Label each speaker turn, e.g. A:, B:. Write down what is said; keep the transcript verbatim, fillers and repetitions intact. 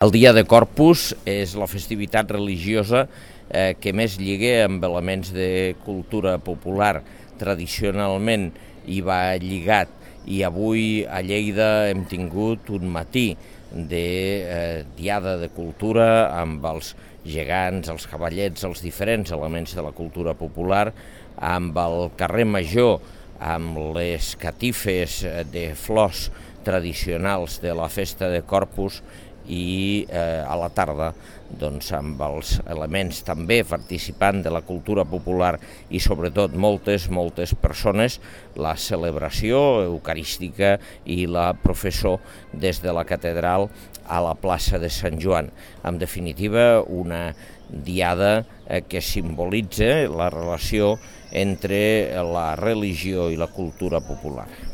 A: El dia de Corpus és la festivitat religiosa eh, que més lliga amb elements de cultura popular. Tradicionalment hi va lligat i avui a Lleida hem tingut un matí de eh, diada de cultura amb els gegants, els cavallets, els diferents elements de la cultura popular, amb el carrer Major, amb les catifes de flors tradicionals de la festa de Corpus i eh, a la tarda doncs, amb els elements també participant de la cultura popular i sobretot moltes, moltes persones, la celebració eucarística i la professó des de la catedral a la plaça de Sant Joan. En definitiva, una diada eh, que simbolitza la relació entre la religió i la cultura popular.